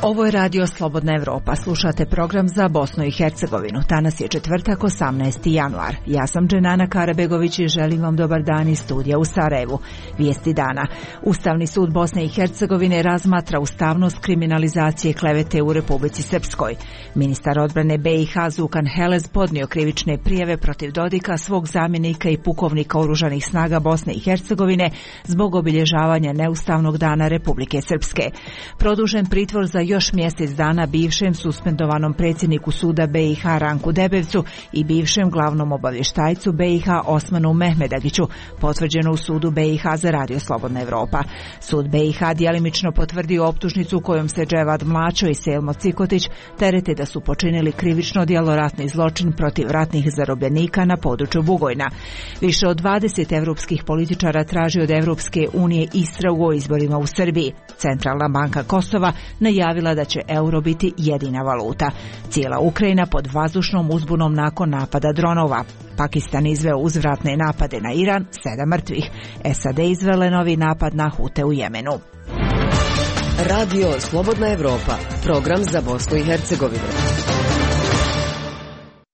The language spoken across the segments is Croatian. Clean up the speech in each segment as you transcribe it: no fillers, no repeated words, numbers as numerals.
Ovo je radio Slobodna Evropa. Slušate program za Bosnu i Hercegovinu. Danas je četvrtak, 18. januar. Ja sam Dženana Karabegović i želim vam dobar dan iz studija u Sarajevu. Vijesti dana. Ustavni sud Bosne i Hercegovine razmatra ustavnost kriminalizacije klevete u Republici Srpskoj. Ministar odbrane BiH Zukan Helez podnio krivične prijave protiv Dodika, svog zamjenika i pukovnika oružanih snaga Bosne i Hercegovine zbog obilježavanja neustavnog dana Republike Srpske. Produžen pritvor za još mjesec dana bivšem suspendovanom predsjedniku suda BiH Ranku Debevcu i bivšem glavnom obavještajcu BiH Osmanu Mehmedagiću, potvrđeno u sudu BiH za radio Slobodna Evropa. Sud BiH djelimično potvrdio optužnicu kojom se Dževad Mlačo i Selmo Cikotić terete da su počinili krivično djelo ratni zločin protiv ratnih zarobljenika na području Bugojna. Više od 20 evropskih političara traži od Evropske unije istragu o izborima u Srbiji. Centralna banka Kosova najavila da će euro biti jedina valuta. Cijela Ukrajina pod vazdušnom uzbunom nakon napada dronova. Pakistan izveo uzvratne napade na Iran, 7 mrtvih. SAD izvele novi napad na Hute u Jemenu. Radio Slobodna Evropa, program za Bosnu i Hercegovinu.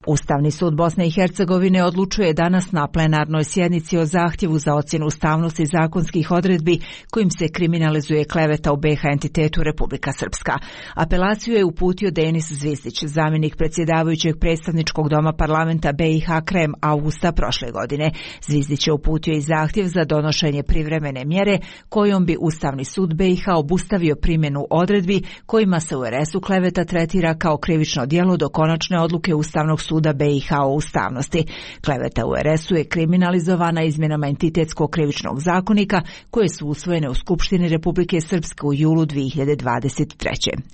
Ustavni sud Bosne i Hercegovine odlučuje danas na plenarnoj sjednici o zahtjevu za ocjenu ustavnosti zakonskih odredbi kojim se kriminalizuje kleveta u BiH entitetu Republika Srpska. Apelaciju je uputio Denis Zvizdić, zamjenik predsjedavajućeg predstavničkog doma parlamenta BiH Krem avgusta prošle godine. Zvizdić je uputio i zahtjev za donošenje privremene mjere kojom bi Ustavni sud BiH obustavio primjenu odredbi kojima se u RS-u kleveta tretira kao krivično djelo do konačne odluke Ustavnog suda BiH o ustavnosti. Kleveta u RS-u je kriminalizovana izmjenama entitetskog krivičnog zakonika koje su usvojene u Skupštini Republike Srpske u julu 2023.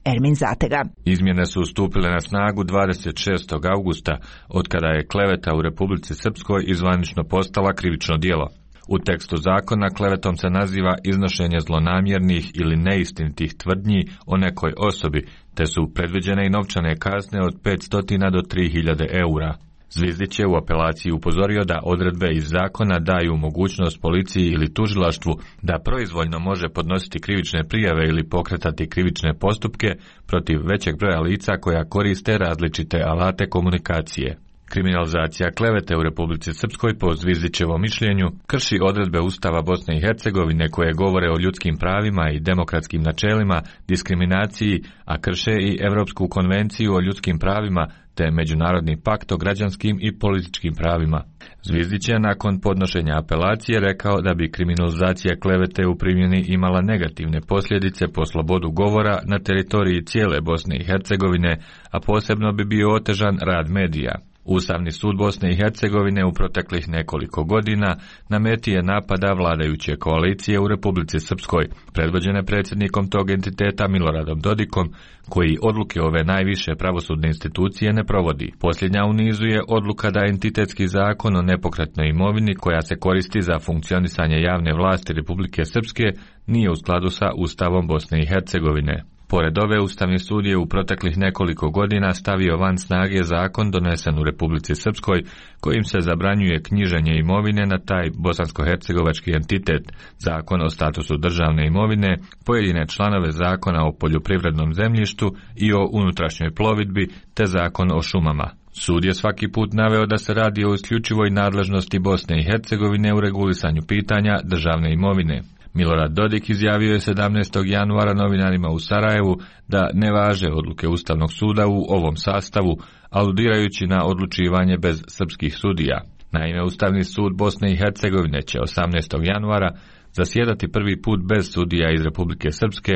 Ermin Zatega. Izmjene su stupile na snagu 26. augusta, otkada je kleveta u Republici Srpskoj izvanično postala krivično djelo. U tekstu zakona klevetom se naziva iznošenje zlonamjernih ili neistinitih tvrdnji o nekoj osobi, te su predviđene i novčane kazne od 500 do 3000 eura. Zvizdić je u apelaciji upozorio da odredbe iz zakona daju mogućnost policiji ili tužilaštvu da proizvoljno može podnositi krivične prijave ili pokretati krivične postupke protiv većeg broja lica koja koriste različite alate komunikacije. Kriminalizacija klevete u Republici Srpskoj po Zvizdićevom mišljenju krši odredbe Ustava Bosne i Hercegovine koje govore o ljudskim pravima i demokratskim načelima, diskriminaciji, a krše i Europsku konvenciju o ljudskim pravima te Međunarodni pakt o građanskim i političkim pravima. Zvizdić je nakon podnošenja apelacije rekao da bi kriminalizacija klevete u primjeni imala negativne posljedice po slobodu govora na teritoriji cijele Bosne i Hercegovine, a posebno bi bio otežan rad medija. Ustavni sud Bosne i Hercegovine u proteklih nekoliko godina na meti je napada vladajuće koalicije u Republici Srpskoj, predvođene predsjednikom tog entiteta Miloradom Dodikom, koji odluke ove najviše pravosudne institucije ne provodi. Posljednja u nizu je odluka da entitetski zakon o nepokretnoj imovini koja se koristi za funkcionisanje javne vlasti Republike Srpske nije u skladu sa Ustavom Bosne i Hercegovine. Pored ove, Ustavni sud je u proteklih nekoliko godina stavio van snage zakon donesen u Republici Srpskoj kojim se zabranjuje knjiženje imovine na taj bosansko-hercegovački entitet, zakon o statusu državne imovine, pojedine članove zakona o poljoprivrednom zemljištu i o unutrašnjoj plovidbi te zakon o šumama. Sud je svaki put naveo da se radi o isključivoj nadležnosti Bosne i Hercegovine u regulisanju pitanja državne imovine. Milorad Dodik izjavio je 17. januara novinarima u Sarajevu da ne važe odluke Ustavnog suda u ovom sastavu, aludirajući na odlučivanje bez srpskih sudija. Naime, Ustavni sud Bosne i Hercegovine će 18. januara zasjedati prvi put bez sudija iz Republike Srpske,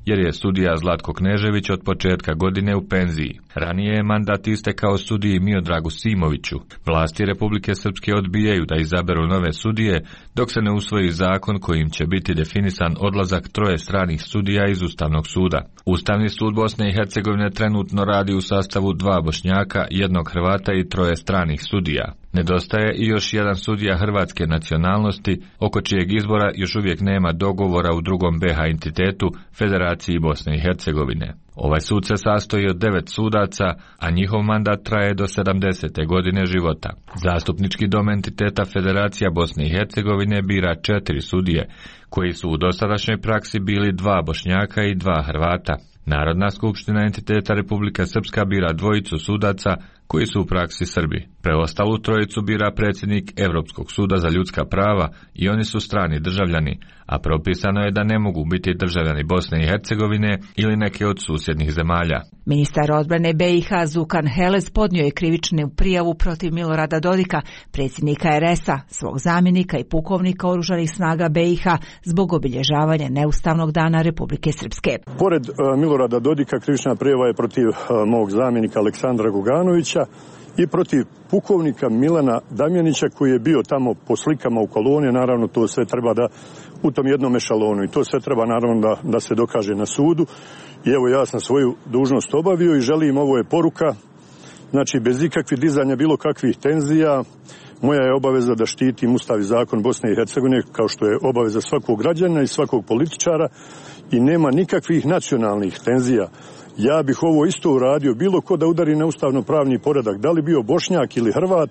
jer je sudija Zlatko Knežević od početka godine u penziji. Ranije je mandat istekao sudiji Miodragu Simoviću. Vlasti Republike Srpske odbijaju da izaberu nove sudije dok se ne usvoji zakon kojim će biti definisan odlazak 3 stranih sudija iz Ustavnog suda. Ustavni sud Bosne i Hercegovine trenutno radi u sastavu 2 Bošnjaka, 1 Hrvata i 3 stranih sudija. Nedostaje i još jedan sudija hrvatske nacionalnosti, oko čijeg izbora još uvijek nema dogovora u drugom BiH entitetu, Federaciji Bosne i Hercegovine. Ovaj sud se sastoji od 9 sudaca, a njihov mandat traje do 70. godine života. Zastupnički dom entiteta Federacija Bosne i Hercegovine bira 4 sudije, koji su u dosadašnjoj praksi bili 2 Bošnjaka i 2 Hrvata. Narodna skupština entiteta Republika Srpska bira 2 sudaca koji su u praksi Srbi. Preostalu 3 bira predsjednik Europskog suda za ljudska prava i oni su strani državljani, a propisano je da ne mogu biti državljani Bosne i Hercegovine ili neke od susjednih zemalja. Ministar odbrane BiH Zukan Helez podnio je krivičnu prijavu protiv Milorada Dodika, predsjednika RS-a, svog zamjenika i pukovnika oružanih snaga BiH zbog obilježavanja neustavnog dana Republike Srpske. Pored Milorada Dodika krivična prijava je protiv mog zamjenika Aleksandra Goganovića i protiv pukovnika Milana Damjanića koji je bio tamo po slikama u koloni. Naravno to sve treba da u tom jednom ešalonu i to sve treba naravno da se dokaže na sudu. I evo ja sam svoju dužnost obavio i želim, ovo je poruka, znači bez ikakvih dizanja bilo kakvih tenzija, moja je obaveza da štitim Ustav i zakon Bosne i Hercegovine kao što je obaveza svakog građana i svakog političara i nema nikakvih nacionalnih tenzija. Ja bih ovo isto uradio, bilo ko da udari na ustavno-pravni poredak, da li bio Bošnjak ili Hrvat,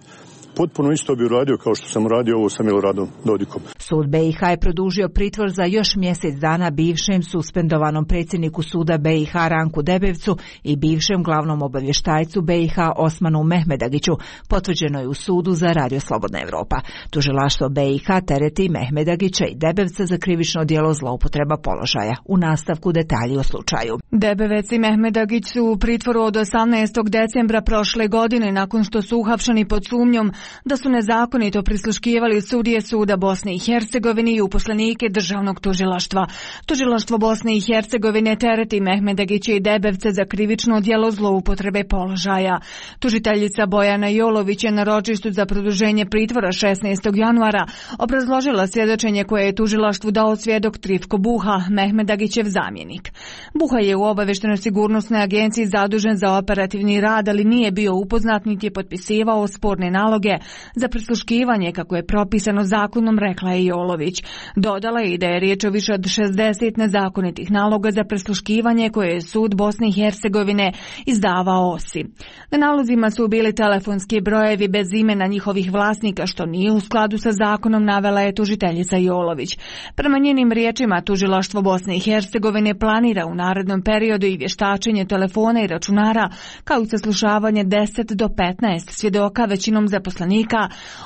potpuno isto bi uradio kao što sam uradio ovo sa Miloradom Dodikom. Sud BiH je produžio pritvor za još mjesec dana bivšem suspendovanom predsjedniku suda BiH Ranku Debevcu i bivšem glavnom obavještajcu BiH Osmanu Mehmedagiću, potvrđeno je u sudu za Radio Slobodna Evropa. Tužilaštvo BiH tereti Mehmedagića i Debevca za krivično djelo zloupotreba položaja. U nastavku detalji o slučaju. Debevec i Mehmedagić su u pritvoru od 18. decembra prošle godine nakon što su uhapšeni pod sumnjom da su nezakonito prisluškivali sudije suda Bosne i Hercegovine i uposlenike državnog tužilaštva. Tužilaštvo Bosne i Hercegovine tereti Mehmedagića i Debevca za krivično djelo zloupotrebe položaja. Tužiteljica Bojana Jolović je na ročištu za produženje pritvora 16. januara obrazložila svjedočenje koje je tužilaštvu dao svjedok Trifko Buha, Mehmedagićev zamjenik. Buha je u obavještajno-sigurnosnoj agenciji zadužen za operativni rad, ali nije bio upoznat niti je potpisivao sporne naloge za prisluškivanje kako je propisano zakonom, rekla je Jolović. Dodala je i da je riječ o više od 60 nezakonitih naloga za prisluškivanje koje je sud Bosne i Hercegovine izdavao OSI. Na nalozima su bili telefonski brojevi bez imena njihovih vlasnika, što nije u skladu sa zakonom, navela je tužiteljica Jolović. Prema njenim riječima, tužilaštvo Bosne i Hercegovine planira u narednom periodu i vještačenje telefona i računara, kao i saslušavanje 10 do 15 svjedoka, većinom zaposlenika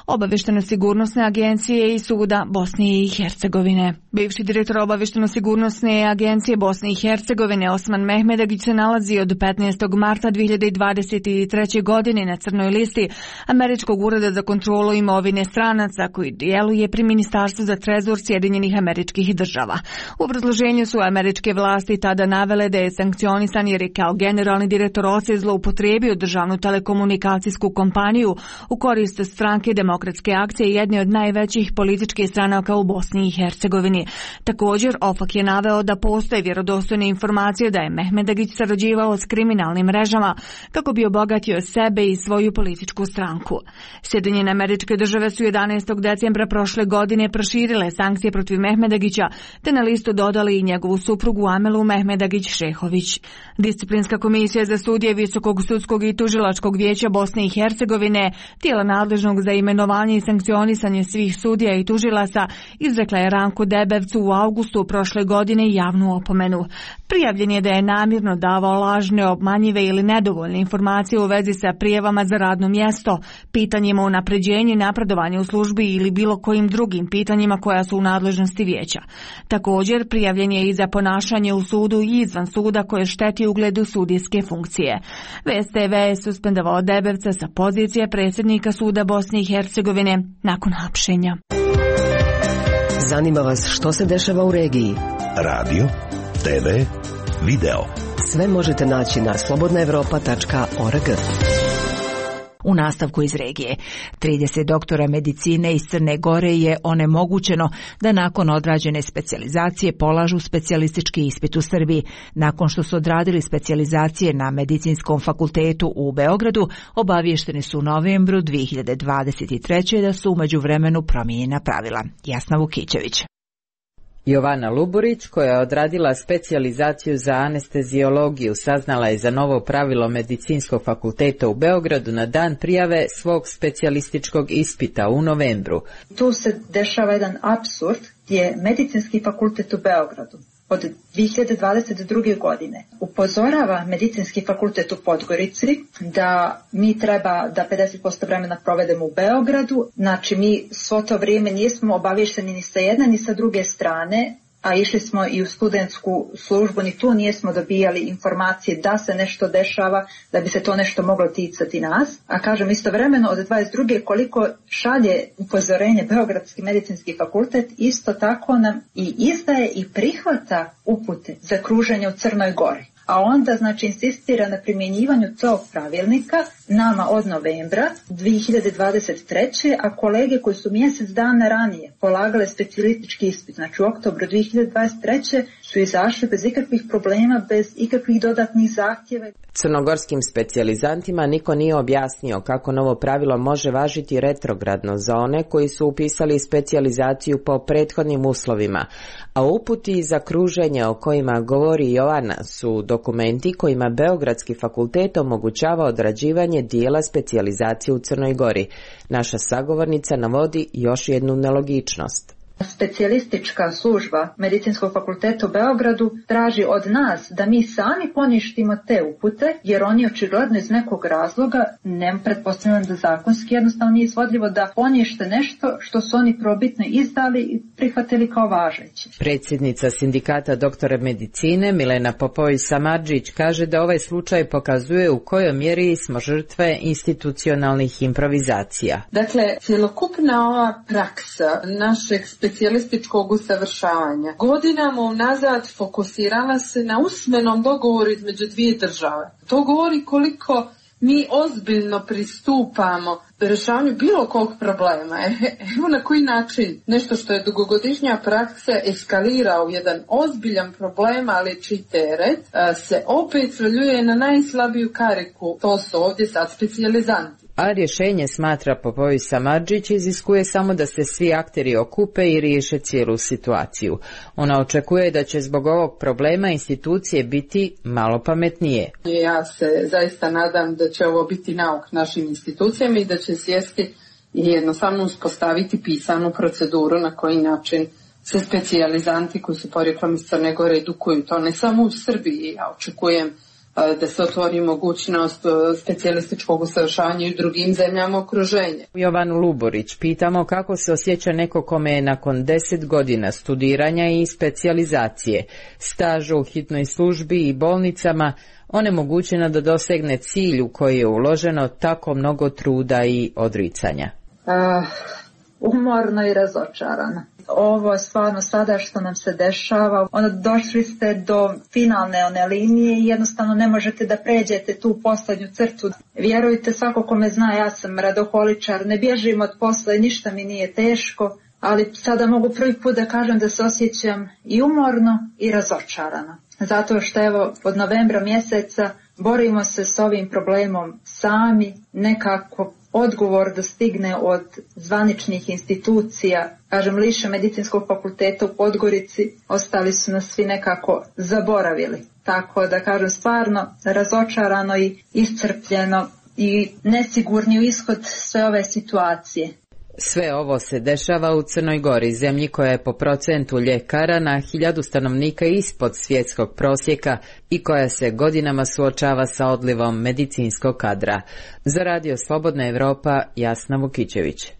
Obavještajno-sigurnosne agencije i suda Bosne i Hercegovine. Bivši direktor Obavještajno-sigurnosne agencije Bosne i Hercegovine Osman Mehmedagić se nalazi od 15. marta 2023. godine na crnoj listi Američkog ureda za kontrolu imovine stranaca koji djeluje pri Ministarstvu za trezor Sjedinjenih Američkih Država. U obrazloženju su američke vlasti tada navele da je sankcionisan jer je kao generalni direktor OSE zloupotrijebio državnu telekomunikacijsku kompaniju u korist stranke Demokratske akcije, jedne od najvećih političkih stranaka u Bosni i Hercegovini. Također, OFAK je naveo da postoje vjerodostojne informacije da je Mehmedagić sarađivao s kriminalnim mrežama kako bi obogatio sebe i svoju političku stranku. Sjedinjene Američke Države su 11. decembra prošle godine proširile sankcije protiv Mehmedagića, te na listu dodali i njegovu suprugu Amelu Mehmedagić-Šehović. Disciplinska komisija za sudije Visokog sudskog i tužilačkog vijeća Bosne i Hercegovine, tijela nadležnog za imenovanje i sankcionisanje svih sudija i tužilaca, izrekla je Ranku Debevcu u avgustu prošle godine javnu opomenu. Prijavljen je da je namjerno davao lažne, obmanjive ili nedovoljne informacije u vezi sa prijavama za radno mjesto, pitanjima o unapređenju i napredovanju u službi ili bilo kojim drugim pitanjima koja su u nadležnosti vijeća. Također, prijavljen je i za ponašanje u sudu i izvan suda koje šteti ugledu sudijske funkcije. VSTV je suspendovao Debevca sa pozicije predsjednika suda Bosne i Hercegovine nakon hapšenja. Zanima vas što se dešava u regiji? Radio, TV, video. Sve možete naći na slobodnaevropa.org. U nastavku iz regije, 30 doktora medicine iz Crne Gore je onemogućeno da nakon odrađene specijalizacije polažu specijalistički ispit u Srbiji. Nakon što su odradili specijalizacije na Medicinskom fakultetu u Beogradu, obavješteni su u novembru 2023. da su u međuvremenu promijenjena pravila. Jasna Vukićević. Jovana Luburić, koja je odradila specijalizaciju za anesteziologiju, saznala je za novo pravilo Medicinskog fakulteta u Beogradu na dan prijave svog specijalističkog ispita u novembru. Tu se dešava jedan apsurd gdje Medicinski fakultet u Beogradu od 2022. godine upozorava Medicinski fakultet u Podgorici da mi treba da 50% vremena provedemo u Beogradu. Znači mi svo to vrijeme nismo obavješteni ni sa jedne ni sa druge strane, a išli smo i u studentsku službu, ni tu nismo dobijali informacije da se nešto dešava, da bi se to nešto moglo ticati nas. A kažem, istovremeno od 22. koliko šalje upozorenje Beogradski medicinski fakultet, isto tako nam i izdaje i prihvata upute za kruženje u Crnoj Gori. A onda, znači, insistira na primjenjivanju tog pravilnika nama od novembra 2023. a kolege koji su mjesec dana ranije polagale specijalistički ispit, znači u oktobru 2023. su izašli bez ikakvih problema, bez ikakvih dodatnih zahtjeva. Crnogorskim specijalizantima niko nije objasnio kako novo pravilo može važiti retrogradno za one koji su upisali specijalizaciju po prethodnim uslovima, a uputi za kruženje o kojima govori Jovana su dokumenti kojima Beogradski fakultet omogućava odrađivanje dijela specijalizacije u Crnoj Gori. Naša sagovornica navodi još jednu nelogičnost. Specijalistička služba Medicinskog fakulteta u Beogradu traži od nas da mi sami poništimo te upute, jer oni očigledno iz nekog razloga, ne pretpostavljam da zakonski jednostavno nije izvodljivo, da ponište nešto što su oni probitno izdali i prihvatili kao važeće. Predsjednica sindikata doktora medicine Milena Popović-Samardžić kaže da ovaj slučaj pokazuje u kojoj mjeri smo žrtve institucionalnih improvizacija. Dakle, cjelokupna ova praksa našeg specijalističkog usavršavanja godinama unazad fokusirala se na usmenom dogovoru između dvije države. To govori koliko mi ozbiljno pristupamo rješavanju bilo kog problema. Evo na koji način nešto što je dugogodišnja praksa eskalira u jedan ozbiljan problem, ali čiji teret se opet svaljuje na najslabiju kariku. To su ovdje sad specijalizanti. A rješenje, smatra Popović-Samardžić, iziskuje samo da se svi akteri okupe i riješe cijelu situaciju. Ona očekuje da će zbog ovog problema institucije biti malo pametnije. Ja se zaista nadam da će ovo biti nauk našim institucijama i da će sjesti i jednostavno uspostaviti pisanu proceduru na koji način se specijalizanti koji su porijeklom iz Crne Gore edukuju. To ne samo u Srbiji, ja očekujem da se otvori mogućnost specijalističkog usavršavanja i u drugim zemljama okruženja. Jovanu Luburić pitamo kako se osjeća neko kome je nakon 10 godina studiranja i specijalizacije, staža u hitnoj službi i bolnicama onemogućeno da dosegne cilj u koji je uloženo tako mnogo truda i odricanja. Umorno i razočarana. Ovo stvarno sada što nam se dešava, došli ste do finalne one linije i jednostavno ne možete da pređete tu poslednju crtu. Vjerujte, svako ko me zna, ja sam radoholičar, ne bježim od posla i ništa mi nije teško, ali sada mogu prvi put da kažem da se osjećam i umorno i razočarano. Zato što evo od novembra mjeseca borimo se s ovim problemom sami, nekako odgovor da stigne od zvaničnih institucija, kažem liše Medicinskog fakulteta u Podgorici, ostali su nas svi nekako zaboravili. Tako da kažem stvarno razočarano i iscrpljeno i nesigurni u ishod sve ove situacije. Sve ovo se dešava u Crnoj Gori, zemlji koja je po procentu ljekara na 1000 stanovnika ispod svjetskog prosjeka i koja se godinama suočava sa odlivom medicinskog kadra. Za Radio Slobodna Evropa, Jasna Vukićević.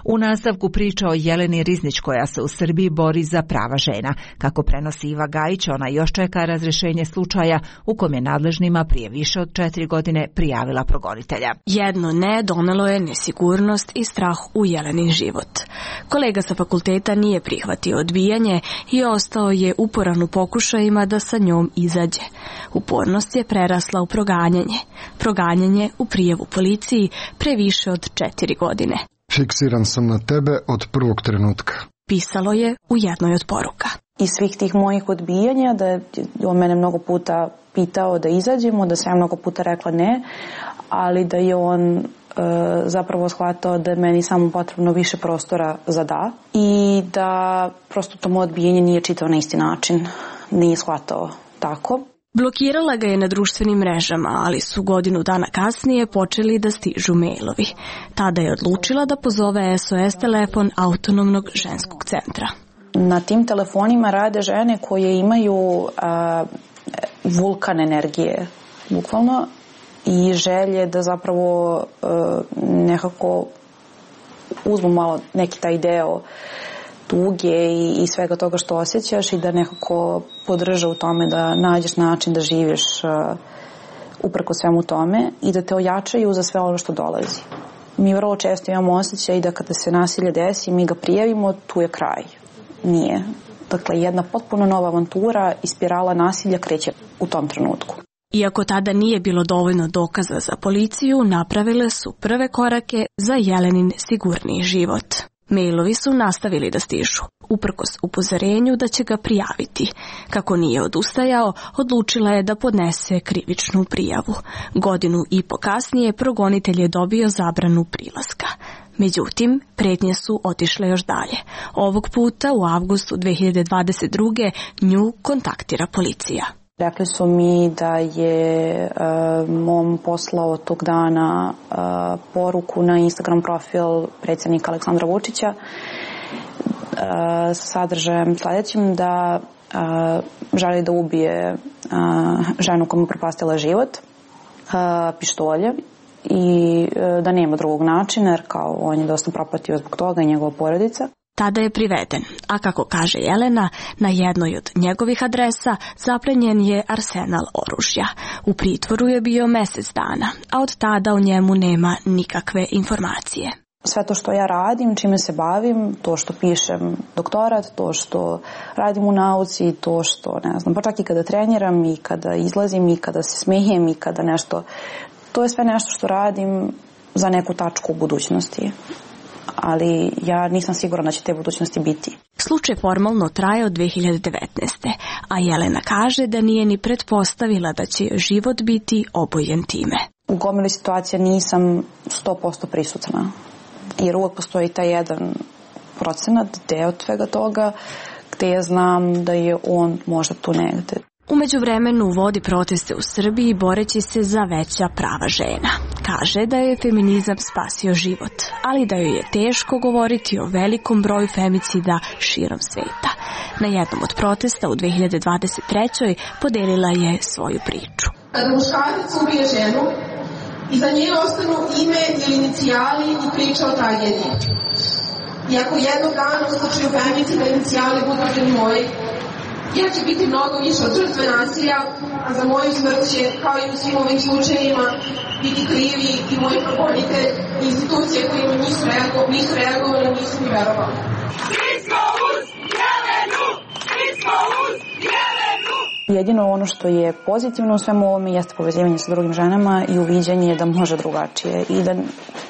U nastavku priča o Jeleni Riznić koja se u Srbiji bori za prava žena. Kako prenosi Iva Gajić, ona još čeka razrješenje slučaja u kom je nadležnima prije više od 4 godine prijavila progonitelja. Jedno ne donelo je nesigurnost i strah u Jelenin život. Kolega sa fakulteta nije prihvatio odbijanje i ostao je uporan u pokušajima da sa njom izađe. Upornost je prerasla u proganjanje. Proganjanje u prijavu policiji pre više od 4 godine. Fiksiran sam na tebe od prvog trenutka. Pisalo je u jednoj od poruka. Iz svih tih mojih odbijanja, da je on mene mnogo puta pitao da izađemo, da sam ja mnogo puta rekla ne, ali da je on zapravo shvatao da je meni samo potrebno više prostora za da i da prosto to moje odbijenje nije čitao na isti način, nije shvatao tako. Blokirala ga je na društvenim mrežama, ali su godinu dana kasnije počeli da stižu mailovi. Tada je odlučila da pozove SOS telefon Autonomnog ženskog centra. Na tim telefonima rade žene koje imaju vulkan energije, bukvalno, i želje da zapravo nekako uzmu malo neki taj deo tuge i svega toga što osjećaš i da nekako podrže u tome da nađeš način da živiš uprko svemu tome i da te ojačaju za sve ono što dolazi. Mi vrlo često imamo osjećaj da kada se nasilje desi, mi ga prijavimo, tu je kraj. Nije. Dakle, jedna potpuno nova avantura i spirala nasilja kreće u tom trenutku. Iako tada nije bilo dovoljno dokaza za policiju, napravile su prve korake za Jelenin sigurniji život. Mailovi su nastavili da stižu, uprkos upozorenju da će ga prijaviti. Kako nije odustajao, odlučila je da podnese krivičnu prijavu. Godinu i po kasnije progonitelj je dobio zabranu prilaska. Međutim, pretnje su otišle još dalje. Ovog puta u avgustu 2022. nju kontaktira policija. Rekli su mi da je mom poslao tog dana poruku na Instagram profil predsjednika Aleksandra Vučića sa sadržajem sljedećim da želi da ubije ženu koja mu propastila život pištolje i da nema drugog načina jer kao on je dosta propatio zbog toga i njegova porodica. Tada je priveden, a kako kaže Jelena, na jednoj od njegovih adresa zaplenjen je arsenal oružja. U pritvoru je bio mjesec dana, a od tada o njemu nema nikakve informacije. Sve to što ja radim, čime se bavim, to što pišem doktorat, to što radim u nauci, to što, ne znam, pa čak i kada treniram i kada izlazim i kada se smijem i kada nešto, to je sve nešto što radim za neku tačku u budućnosti. Ali ja nisam sigurna da će te budućnosti biti. Slučaj formalno traje od 2019. A Jelena kaže da nije ni pretpostavila da će život biti obojen time. U gomili situacija nisam 100% prisutna. Jer uvijek postoji taj 1% deo svega toga gde ja znam da je on možda tu negde. U međuvremenu vodi proteste u Srbiji boreći se za veća prava žena. Kaže da je feminizam spasio život, ali da joj je teško govoriti o velikom broju femicida širom sveta. Na jednom od protesta u 2023. podelila je svoju priču. Kada muškarac ubije ženu, iza nje ostanu ime ili inicijali i priča o tragediji. I ako jednog dana u slučaju femicida inicijali budu moji, ja će biti mnogo više od žrtve nasilja, a za moju smrt će, kao i u svim ovim slučajima, biti krivi i moji progonitelj i institucije koje nisu reagovali, nisu mi verovali. Svi smo uz Jelenu! Svi smo uz Jelenu! Jedino ono što je pozitivno u svemu ovome jeste povezivanje sa drugim ženama i uviđanje da može drugačije i da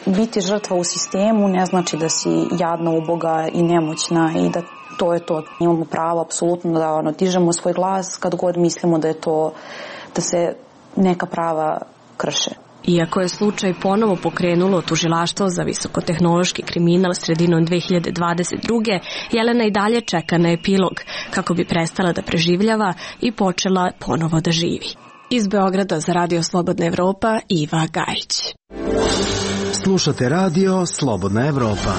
biti žrtva u sistemu ne znači da si jadna, uboga i nemoćna i da to je to. Imamo pravo apsolutno da dižemo svoj glas kad god mislimo da je to, da se neka prava krše. Iako je slučaj ponovo pokrenulo tužilaštvo za visokotehnološki kriminal sredinom 2022. Jelena i dalje čeka na epilog kako bi prestala da preživljava i počela ponovo da živi. Iz Beograda za Radio Slobodna Evropa, Iva Gajić. Slušate Radio Slobodna Evropa.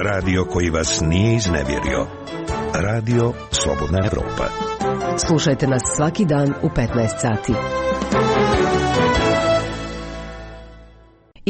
Radio koji vas nije iznevjerio. Radio Slobodna Evropa. Slušajte nas svaki dan u 15 sati.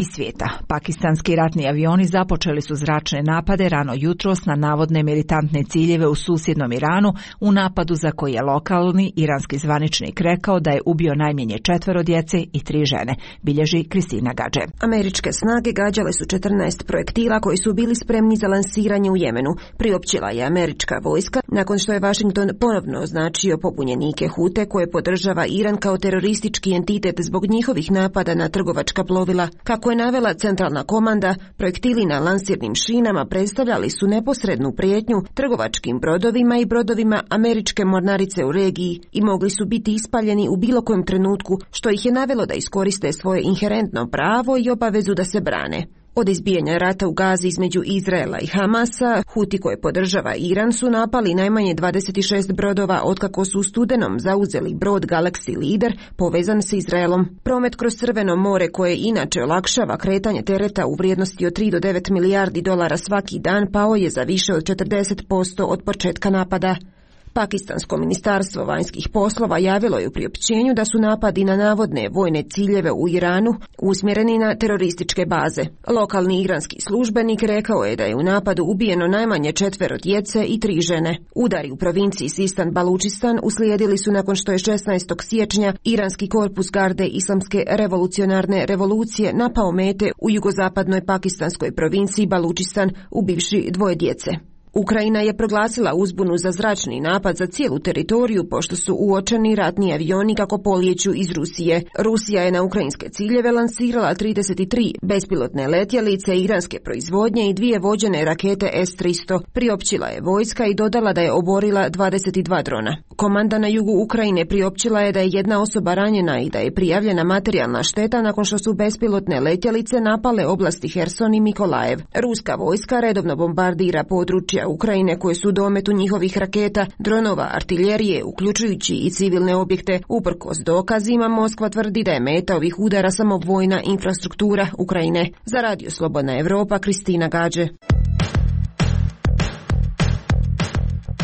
Iz svijeta. Pakistanski ratni avioni započeli su zračne napade rano jutros na navodne militantne ciljeve u susjednom Iranu u napadu za koji je lokalni iranski zvaničnik rekao da je ubio najmanje 4 djece i 3 žene, bilježi Kristina Gadže. Američke snage gađale su 14 projektila koji su bili spremni za lansiranje u Jemenu, priopćila je američka vojska nakon što je Washington ponovno označio pobunjenike Hute koje podržava Iran kao teroristički entitet zbog njihovih napada na trgovačka plovila, kako Kako je navela centralna komanda, projektili na lansirnim šinama predstavljali su neposrednu prijetnju trgovačkim brodovima i brodovima američke mornarice u regiji i mogli su biti ispaljeni u bilo kojem trenutku, što ih je navelo da iskoriste svoje inherentno pravo i obavezu da se brane. Od izbijanja rata u Gazi između Izraela i Hamasa, Huti koje podržava Iran su napali najmanje 26 brodova otkako su u studenom zauzeli brod Galaxy Leader povezan sa Izraelom. Promet kroz Crveno more koje inače olakšava kretanje tereta u vrijednosti od 3 do 9 milijardi dolara svaki dan pao je za više od 40% od početka napada. Pakistansko ministarstvo vanjskih poslova javilo je u priopćenju da su napadi na navodne vojne ciljeve u Iranu usmjereni na terorističke baze. Lokalni iranski službenik rekao je da je u napadu ubijeno najmanje 4 djece i 3 žene. Udari u provinciji Sistan Balučistan uslijedili su nakon što je 16. siječnja iranski korpus garde Islamske revolucionarne revolucije napao mete u jugozapadnoj pakistanskoj provinciji Balučistan ubivši 2 djece. Ukrajina je proglasila uzbunu za zračni napad za cijelu teritoriju pošto su uočeni ratni avioni kako polijeću iz Rusije. Rusija je na ukrajinske ciljeve lansirala 33 bespilotne letjelice iranske proizvodnje i 2 vođene rakete S-300. Priopćila je vojska i dodala da je oborila 22 drona. Komanda na jugu Ukrajine priopćila je da je 1 osoba ranjena i da je prijavljena materijalna šteta nakon što su bespilotne letjelice napale oblasti Herson i Mikolajev. Ruska vojska redovno bombardira područja Ukrajine koje su u dometu njihovih raketa, dronova, artiljerije, uključujući i civilne objekte. Uprkos dokazima, Moskva tvrdi da je meta ovih udara samo vojna infrastruktura Ukrajine. Za Radio Slobodna Evropa, Kristina Gađe.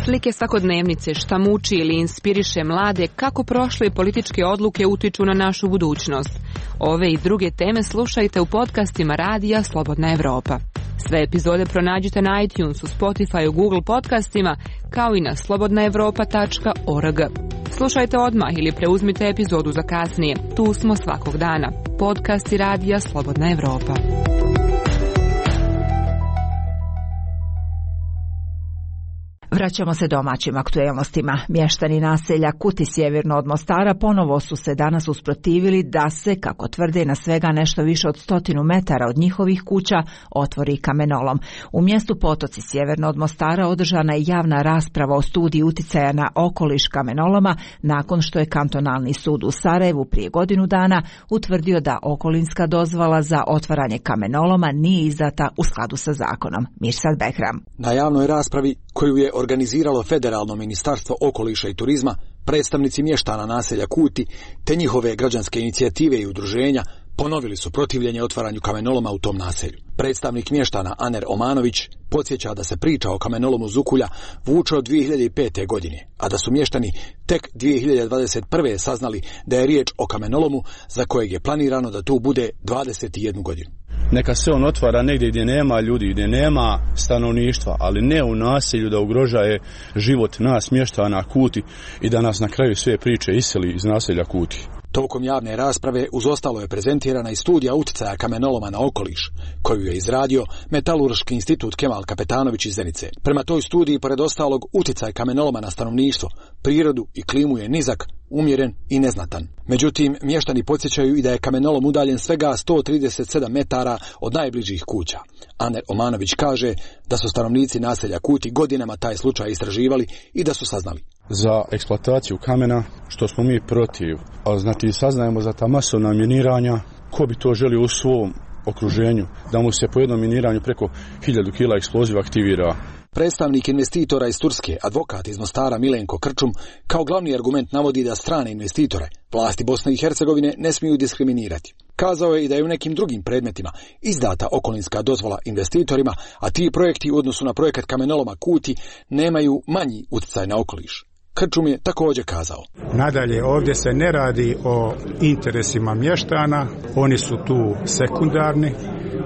Slike svakodnevnice, šta muči ili inspiriše mlade, kako prošle političke odluke utiču na našu budućnost. Ove i druge teme slušajte u podcastima Radija Slobodna Evropa. Sve epizode pronađite na iTunesu, Spotifyu, Google podcastima, kao i na slobodnaevropa.org. Slušajte odmah ili preuzmite epizodu za kasnije. Tu smo svakog dana. Podcasti Radija Slobodna Evropa. Vraćamo se domaćim aktuelnostima. Mještani naselja Kuti sjeverno od Mostara ponovo su se danas usprotivili da se, kako tvrde, na svega nešto više od 100 metara od njihovih kuća otvori kamenolom. U mjestu Potoci sjeverno od Mostara održana je javna rasprava o studiji uticaja na okoliš kamenoloma nakon što je kantonalni sud u Sarajevu prije godinu dana utvrdio da okolinska dozvola za otvaranje kamenoloma nije izdata u skladu sa zakonom. Mirsad Behram. Na javnoj raspravi koju je organiziralo Federalno ministarstvo okoliša i turizma, predstavnici mještana naselja Kuti te njihove građanske inicijative i udruženja ponovili su protivljenje otvaranju kamenoloma u tom naselju. Predstavnik mještana Aner Omanović podsjeća da se priča o kamenolomu Zukulja vuče od 2005. godine, a da su mještani tek 2021. saznali da je riječ o kamenolomu za kojeg je planirano da tu bude 21 godinu. Neka se on otvara negdje gdje nema ljudi, gdje nema stanovništva, ali ne u naselju da ugrožaje život nas mještana Kuti i da nas na kraju sve priče iseli iz naselja Kuti. Tokom javne rasprave uz ostalo je prezentirana i studija uticaja kamenoloma na okoliš, koju je izradio Metalurški institut Kemal Kapetanović iz Zenice. Prema toj studiji, pored ostalog, uticaj kamenoloma na stanovništvo, prirodu i klimu je nizak, umjeren i neznatan. Međutim, mještani podsjećaju i da je kamenolom udaljen svega 137 metara od najbližih kuća. Aner Omanović kaže da su stanovnici naselja Kuti godinama taj slučaj istraživali i da su saznali za eksploataciju kamena, što smo mi protiv, a znači saznajemo za ta masovna miniranja, ko bi to želio u svom okruženju, da mu se po jednom miniranju preko 1000 kila eksploziva aktivira. Predstavnik investitora iz Turske, advokat iz Mostara Milenko Krčum, kao glavni argument navodi da strane investitore vlasti Bosne i Hercegovine ne smiju diskriminirati. Kazao je i da je u nekim drugim predmetima izdata okolinska dozvola investitorima, a ti projekti u odnosu na projekat kamenoloma Kuti nemaju manji utjecaj na okoliš. Krčum je također kazao: Nadalje, ovdje se ne radi o interesima mještana, oni su tu sekundarni,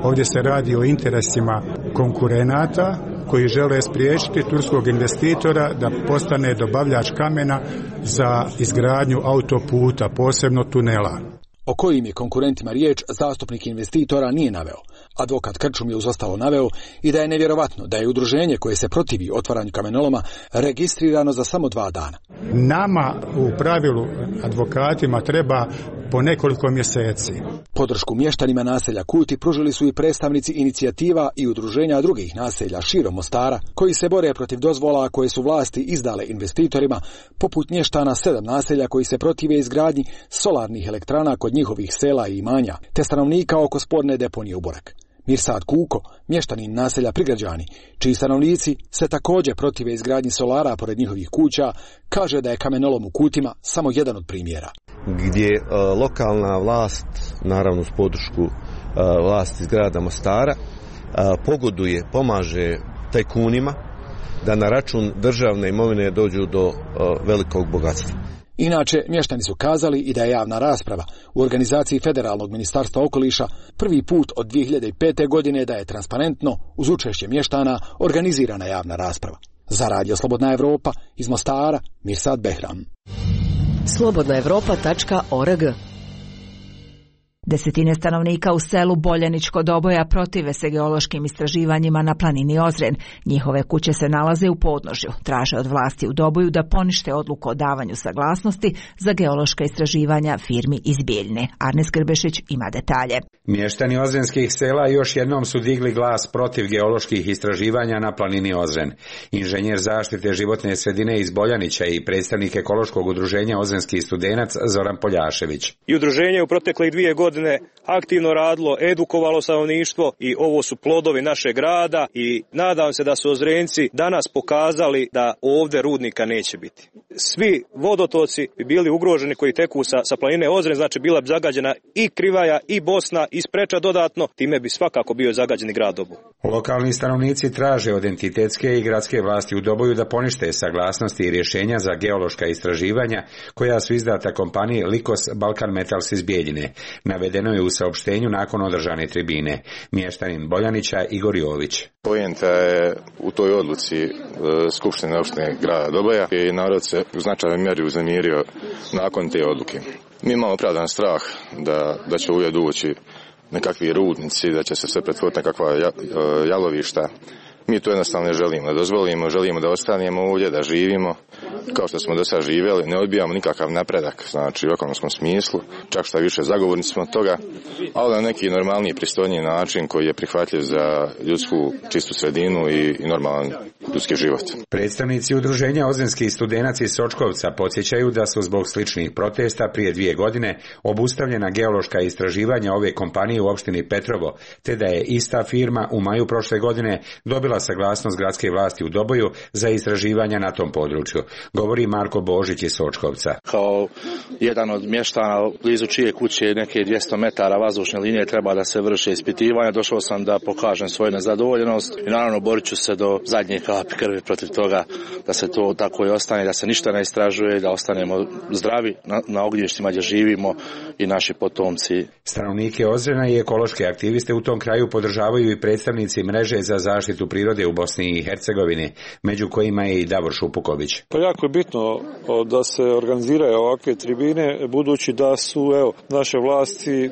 ovdje se radi o interesima konkurenata koji žele spriječiti turskog investitora da postane dobavljač kamena za izgradnju autoputa, posebno tunela. O kojim je konkurentima riječ, zastupnik investitora nije naveo. Advokat Krčum je uz ostalo naveo i da je nevjerovatno da je udruženje koje se protivi otvaranju kamenoloma registrirano za samo 2 dana. Nama u pravilu advokatima treba po nekoliko mjeseci. Podršku mještanima naselja Kuti pružili su i predstavnici inicijativa i udruženja drugih naselja širom Mostara, koji se bore protiv dozvola koje su vlasti izdale investitorima, poput mještana 7 naselja koji se protive izgradnji solarnih elektrana kod njihovih sela i imanja, te stanovnika oko sporne deponije u Borak. Mirsad Kuko, mještanin naselja Prigrađani, čiji stanovnici se također protive izgradnji solara pored njihovih kuća, kaže da je kamenolom u Kutima samo jedan od primjera. Gdje lokalna vlast, naravno uz podršku vlasti iz grada Mostara, pogoduje, pomaže tajkunima da na račun državne imovine dođu do velikog bogatstva. Inače, mještani su kazali i da je javna rasprava u organizaciji Federalnog ministarstva okoliša prvi put od 2005. godine da je transparentno, uz učešće mještana, organizirana javna rasprava. Za Radio Slobodna Evropa, iz Mostara, Mirsad Behram. slobodnaevropa.org. Desetine stanovnika u selu Boljaničko Doboja protive se geološkim istraživanjima na planini Ozren. Njihove kuće se nalaze u podnožju. Traže od vlasti u Doboju da ponište odluku o davanju saglasnosti za geološka istraživanja firmi iz Bijeljne. Arnes Grbešić ima detalje. Mještani ozrenskih sela još jednom su digli glas protiv geoloških istraživanja na planini Ozren. Inženjer zaštite životne sredine iz Boljanića i predstavnik ekološkog udruženja Ozrenski studenac Zoran Poljašević. I udruženje u proteklih 2 godine aktivno radilo, edukovalo stanovništvo i ovo su plodovi našeg rada i nadam se da su Ozrenci danas pokazali da ovdje rudnika neće biti. Svi vodotoci bi bili ugroženi koji teku sa planine Ozren, znači bila bi zagađena i Krivaja i Bosna i Spreča dodatno, time bi svakako bio zagađeni grad Doboj. Lokalni stanovnici traže od entitetske i gradske vlasti u Doboju da ponište saglasnosti i rješenja za geološka istraživanja koja su izdata kompaniji Likos Balkan Metals iz Bijeljine. Navedeno je u saopštenju nakon održane tribine. Mještanin Boljanića Igor Jović. Poenta je u toj odluci Skupštine opštine grada Doboja i narod se u značajnoj mjeri uznemirio nakon te odluke. Mi imamo opravdan strah da će uvijek ući nekakvi rudnici, da će se sve pretvoriti nekakva jalovišta. Mi to jednostavno ne želimo da dozvolimo, želimo da ostanemo ovdje, da živimo kao što smo do sada živjeli, ne odbijamo nikakav napredak, znači u ekonomskom smislu, čak što više zagovornici smo toga, ali na neki normalniji, pristojniji način koji je prihvatljiv za ljudsku čistu sredinu i normalan ljudski život. Predstavnici udruženja Ozrenski studenac iz Sočkovca podsjećaju da su zbog sličnih protesta prije 2 godine obustavljena geološka istraživanja ove kompanije u opštini Petrovo, te da je ista firma u maju prošle godine dobila saglasnost gradske vlasti u Doboju za istraživanja na tom području. Govori Marko Božić iz Sočkovca. Kao jedan od mještana blizu čije kuće neke 200 metara vazdušne linije treba da se vrše ispitivanja, došao sam da pokažem svoju nezadovoljenost i naravno borit ću se do zadnje kapi krvi protiv toga da se to tako i ostane, da se ništa ne istražuje, da ostanemo zdravi na ognjištima gdje živimo i naši potomci. Stanovnike Ozrena i ekološke aktiviste u tom kraju podržavaju i predstavnici mreže za zaštitu prirode u Bosni i Hercegovini, među kojima je i Davor Šupuković. Pa jako je bitno da se organiziraju ovakve tribine, budući da su naše vlasti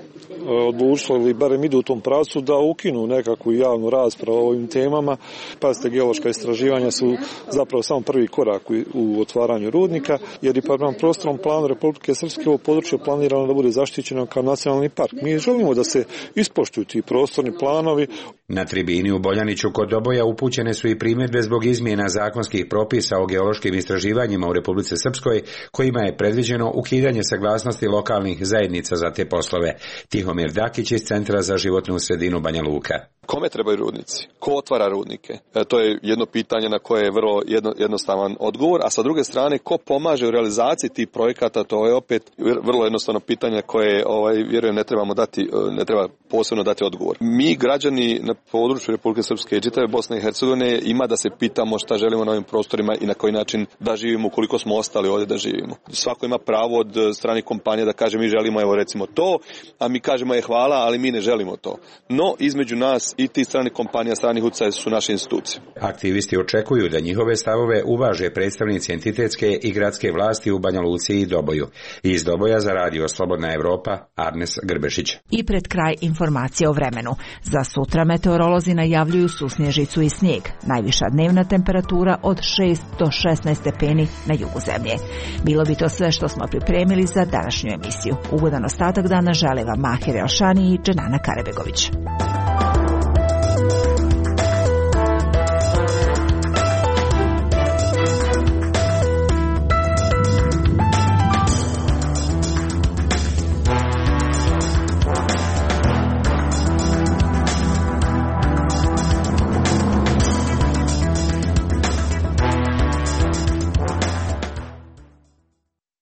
odlučile ili barem idu u tom pravcu da ukinu nekakvu javnu raspravu o ovim temama. Pazite, geološka istraživanja su zapravo samo prvi korak u otvaranju rudnika, jer i prema prostornom planu Republike Srpske ovo područje planirano da bude zaštićeno kao nacionalni park. Mi želimo da se ispoštuju ti prostorni planovi. Na tribini u Boljaniću kod Doboja upućene su i primjedbe zbog izmjena zakonskih propisa o geološkim istraživanjima u Republici Srpskoj, kojima je predviđeno ukidanje saglasnosti lokalnih zajednica za te poslove. Tihomir Dakić iz Centra za životnu sredinu Banja Luka. Kome trebaju rudnici? Ko otvara rudnike? To je jedno pitanje na koje je vrlo jednostavan odgovor, a sa druge strane ko pomaže u realizaciji tih projekata, to je opet vrlo jednostavno pitanje koje vjerujem ne treba posebno dati odgovor. Mi građani na području Republike Srpske i čitave Bosne i Hercegovine ima da se pitamo šta želimo na ovim prostorima i na koji način da živimo ukoliko smo ostali ovdje da živimo. Svako ima pravo od strane kompanije da kaže mi želimo recimo to, a mi kažemo hvala, ali mi ne želimo to. No između nas i ti stranih kompanija, stranih utjecaja su naše institucije. Aktivisti očekuju da njihove stavove uvaže predstavnici entitetske i gradske vlasti u Banja Luci i Doboju. Iz Doboja za Radio Slobodna Evropa, Arnes Grbešić. I pred kraj informacije o vremenu. Za sutra meteorolozi najavljuju susnježicu i snijeg. Najviša dnevna temperatura od 6 do 16 stepeni na jugu zemlje. Bilo bi to sve što smo pripremili za današnju emisiju. Ugodan ostatak dana žele vam Mahir Elšani i Dženana Karebegović.